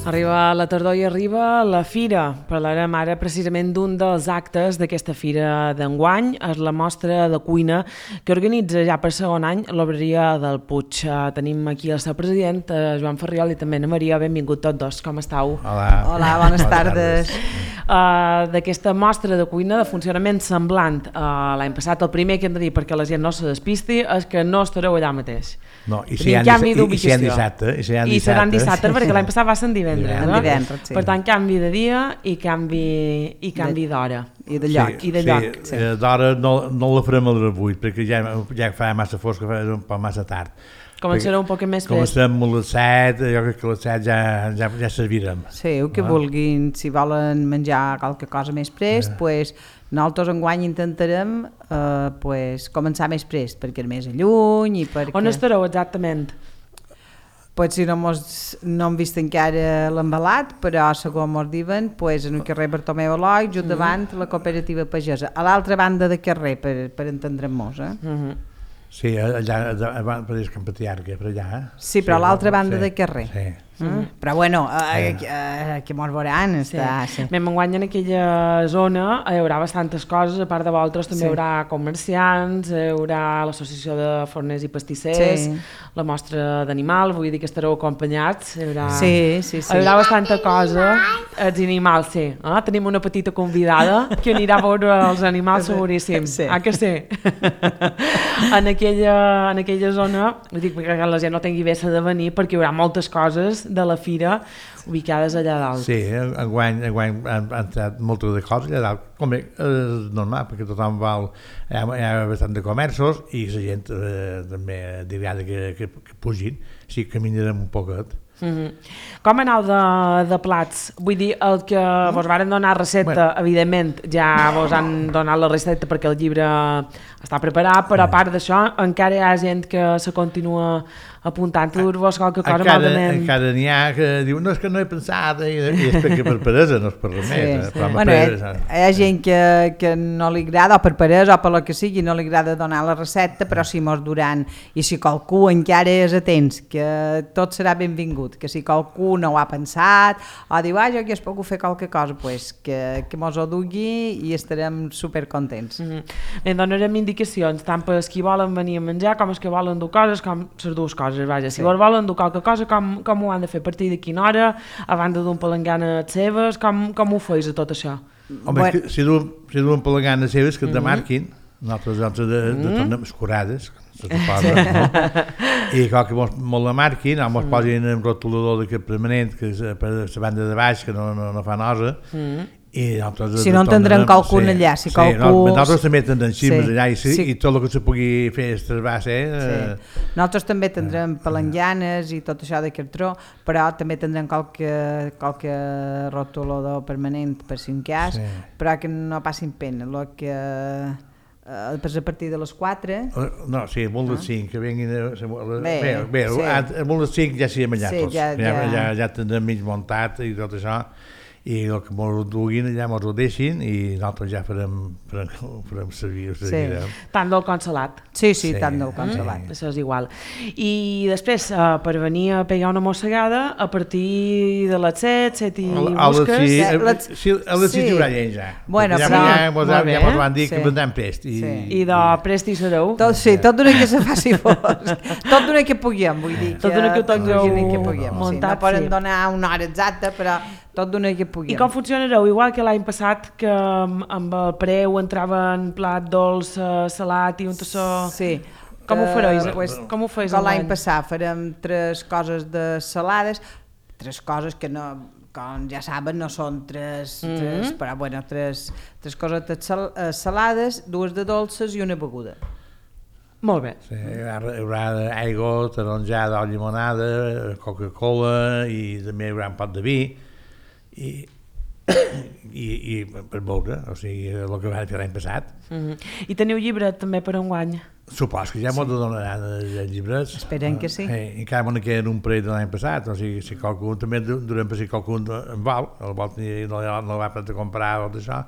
Arriba la tardor i arriba la fira. Parlarem ara precisament d'un dels actes d'aquesta fira d'enguany. És la mostra de cuina que organitza ja per segon any l'Obreria del Puig. Tenim aquí el seu president, Joan Ferriol, i també Ana Maria. Benvingut tots dos. Com estàu? Hola. Hola, bones tardes. D'aquesta mostra de cuina de funcionament semblant l'any passat, el primer que hem de dir perquè la gent no se despisti és que no estareu allà mateix. No, i seran dissabte. I seran dissabte perquè l'any passat va ser en divendres. Sí. Per tant, canvi de dia i canvi d'hora. I de lloc. I de lloc. Sí. D'hora no la farem a les 8 perquè ja fa massa fosc, fa un poc massa tard. Començarà un poc més fresc. Començarem a les 7, jo crec que a les 7 ja servirem. Sí, el que vulguin, si volen menjar qualque cosa més prest, pues, nosaltres enguany intentarem començar més prest, perquè és més lluny i perquè... On estareu exactament? Pues si no hem vist encara l'embalat, però segons mos diuen, pues, en el carrer Bartomeu Eloi, just davant la cooperativa pagesa, a l'altra banda de carrer, per entendre'ns, Sí, allà per Camp Patriarca, per allà. Sí, però a l'altra banda de carrer. Sí. Però bueno, que mos veuran està... Sí. Enguany en aquella zona hi haurà bastantes coses, a part de vosaltres també hi haurà comerciants, hi haurà l'associació de forners i pastissers, la mostra d'animal, vull dir que estareu acompanyats, hi haurà, hi haurà bastanta cosa, els animals, sí. Tenim una petita convidada que anirà a veure els animals seguríssim, que sí. En aquella zona, vull dir que la gent no tingui vessa de venir perquè hi haurà moltes coses de la fira ubicades allà dalt. Sí, enguany han entrat moltes de coses allà dalt, com bé, és normal, perquè tothom hi ha bastant de comerços i la gent també dirà que pugin, sí que caminarem un poquet. Com aneu de plats? Vull dir, el que vos varen donar recepta, evidentment, ja vos han donat la recepta perquè el llibre està preparat, però a part d'això encara hi ha gent que se continua apuntant a dur-vos qualque cosa malament. Encara n'hi ha que diu, no, és que no he pensat, i és perquè per peresa, no és per res més. Bueno, hi ha gent que no li agrada, o per peresa, o per lo que sigui, no li agrada donar la recepta, però si mos duran, i si qualcú encara és atents, que tot serà benvingut, que si qualcú no ho ha pensat, o diu, jo aquí es puc fer qualque cosa, pues, que mos ho dugui i estarem supercontents. En donarem indicacions, tant per els que volen venir a menjar, com els que volen dur coses, com les dues coses. Vaja, si volen dur qualque cosa, com ho han de fer? A partir de quina hora? A banda d'un palanganes seves? Com ho feis a tot això? Home, si duen palanganes seves que et demarquin, nosaltres de tornem escurades, se suposa, no? I que molt la marquin, o mos posin en rotulador d'aquest permanent, que és per la banda de baix, que no fa nosa, si no entendrem qualcun allà, si qualcú... Nosaltres també tindrem ximes allà i tot el que se pugui fer va ser... Nosaltres també tindrem palanganes i tot això de cartró, però també tindrem qualque rotulador permanent per si en cas, però que no passin pena, el que... a partir de les 4... No, sí, molt les 5, que venguin... Bé, molt les 5 ja siguem allà tots, ja tindrem mig muntat i tot això, i el que mos duguin allà mos ho deixin i nosaltres ja farem servir. Tant del consolat. Sí, tant del consolat. Això és igual. I després, per venir a pegar una mossegada, a partir de les 7 i busques... A les 6 hi haurà gent ja. Bueno, però... Ja mos van dir que vendrem prest. I de prest hi sereu? Tot d'una que se faci fosc. Tot d'una que puguem, vull dir. Tot d'una que puguem. No poden donar una hora exacta, però tot d'una que puguem. I com funcionareu? Igual que l'any passat, que amb el preu entrava en plat dolç, salat i un tassó... Sí. Com ho fareu? Com ho feis l'any passat? Farem 3 coses de salades, 3 coses que no... com ja saben, no són 3 però bueno, 3 coses salades, 2 de dolces i una beguda. Molt bé. Sí, hi haurà aigua, taronjada o llimonada, Coca-Cola i també hi haurà un pot de vi i per veure, o sigui, el que va fer l'any passat. I teniu llibre també per enguany? Supos que ja m'ho donaran els llibres. Esperem que sí. Encara m'ho queden un parell de l'any passat, o sigui, si qualcú també durem per si qualcú en vol, el vol no va per comprar o d'això,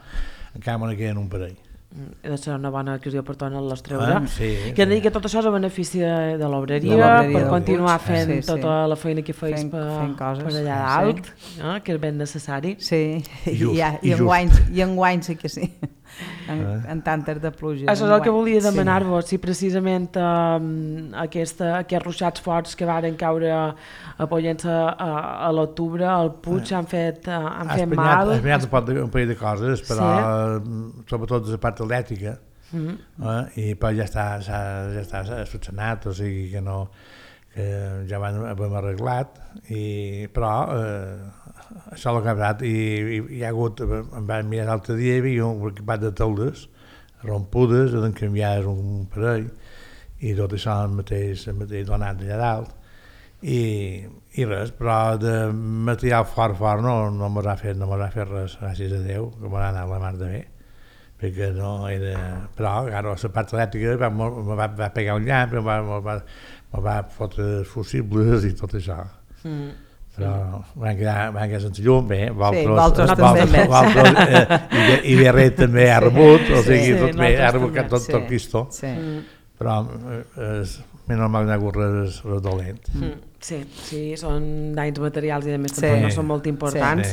encara m'ho queden un parell. de ser una bona adquisició per tornar-les treure. Sí. Que han de dir que tot això és a benefici de l'obreria, per continuar fent tota la feina que feis per allà dalt, que és ben necessari. Sí, i enguany sí que sí, en tantes de pluja. Això és el que volia demanar-vos, si precisament aquests ruixats forts que varen caure a Pollença a l'octubre, al Puig, han fet mal. Ha espenyat un parell de coses, però sobretot de la part elèctrica, i però ja està solucionat, o sigui que no, que ja hem arreglat, però això l'ha canviat, i hi ha hagut, em van mirar l'altre dia, hi havia un equipat de teules rompudes, han canviat un parell, i tot això el mateix donat allà dalt, i res, però de material fort no mos ha fet res, gràcies a Déu, que m'ha anat la mar de bé, perquè no era... Però, claro, la part elèctrica me va pegar un llamp, me va fotre fusibles i tot això. Però van quedar sense llum, bé, Valtros també. I Berret també ha rebut, o sigui, tot bé, ha rebut tot Cristo. Però és normal que hi ha hagut res dolent. Sí, són danys materials i a més tampoc no són molt importants,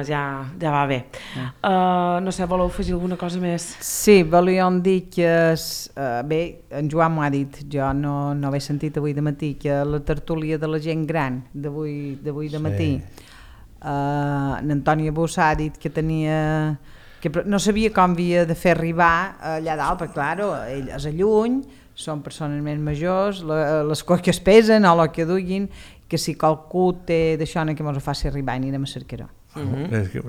ja va bé. No sé, voleu afegir alguna cosa més? Sí, volíem dir que, bé, en Joan m'ho ha dit, jo no ho he sentit avui de matí, que la tertúlia de la gent gran d'avui de matí, l'Antònia Bossà ha dit que tenia... que no sabia com havia de fer arribar allà dalt, perquè, clar, ell és a lluny, són persones més majors, les coses que es pesen o el que duguin, que si qualcú té d'això que ens ho faci arribar i anirem a cercar-ho.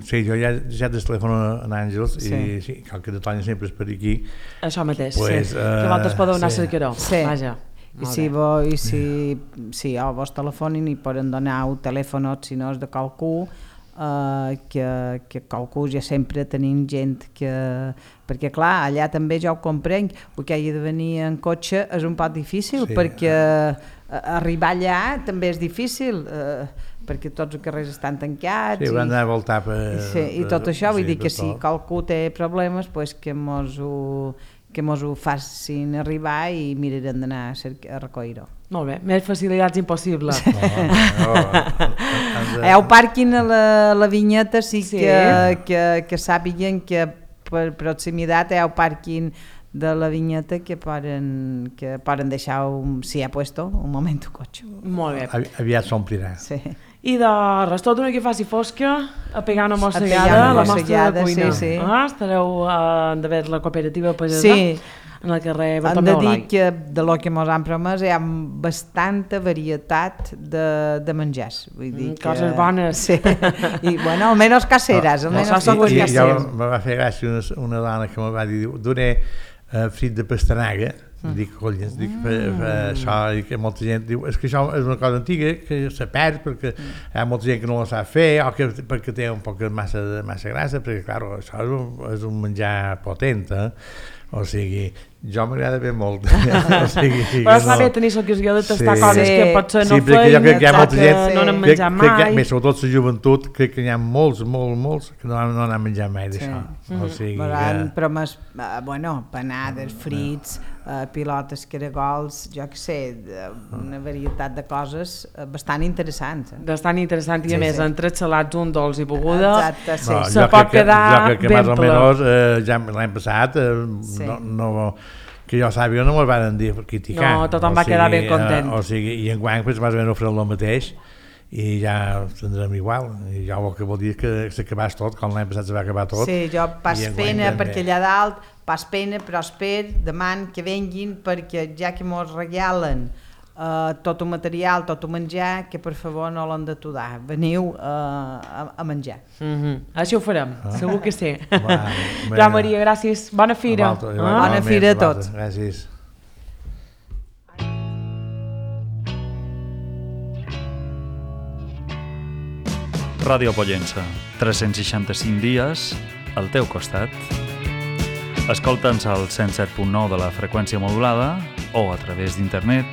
Sí, jo ja des telefono a Àngels i cal que Antònia sempre és per aquí. Això mateix, que vosaltres podeu anar a cercar-ho, vaja. I si vos telefonin i poden donar un telèfon, si no és de qualcú, que qualcú ja sempre tenim gent que... Perquè clar, allà també ja ho comprenc, perquè hi ha de venir en cotxe és un poc difícil, perquè arribar allà també és difícil, perquè tots els carrers estan tancats. Sí, hauran d'anar a voltar per... I tot això, vull dir que si qualcú té problemes, que mos ho facin arribar i mirarem d'anar a recollir-ho. Molt bé, més facilitats impossibles. Hi ha un pàrquing a la Vinyeta, sí que sàpiguen que per proximitat hi ha un pàrquing de la Vinyeta que poden deixar, si hi ha puesto, un moment un cotxe. Molt bé. Aviat s'omplirà. Sí. I de res, tot una que faci fosca, a pegar una mossegada a la nostra cuina. Estareu d'haver la cooperativa pagesà en el carrer Bartomeu Olai. Hem de dir que de lo que ens han promès hi ha bastanta varietat de menjars. Coses bones. Sí. I, bueno, almenys caseres. Jo me va fer gràcia una dona que me va dir, duré frit de pastanaga, dic, collons, això, i que molta gent diu, és que això és una cosa antiga que se perd perquè hi ha molta gent que no la sap fer o perquè té un poc massa grassa, perquè, clar, això és un menjar potent, o sigui, jo m'agrada bé molt. Però està bé tenir l'ocasió de tastar coses que potser no feien, no n'han menjat mai. Més sobretot la joventut, crec que hi ha molts que no n'han menjat mai d'això. Però més, panades, frits, pilotes, caragols, jo què sé, una varietat de coses bastant interessants. Bastant interessant, i a més, entre salats, un dolç i beguda, se pot quedar ben ple. Ja l'any passat, que jo sàpiga, no me'l van dir criticar. No, tothom va quedar ben content. O sigui, i enguany més o menys ofrent el mateix, i ja tindrem igual. I ja el que vol dir que s'acabàs tot, com l'any passat se va acabar tot. Sí, jo pas pena perquè allà dalt, pas pena, però deman que venguin, perquè ja que mos regalen tot un material, tot un menjar, que per favor no l'han d'aturar. Veniu a menjar. Així ho farem, segur que sí. Joan Maria, gràcies. Bona fira. Bona fira a tots. Gràcies. Ràdio Pollença, 365 dies al teu costat. Escolta'ns al 107.9 de la freqüència modulada o a través d'internet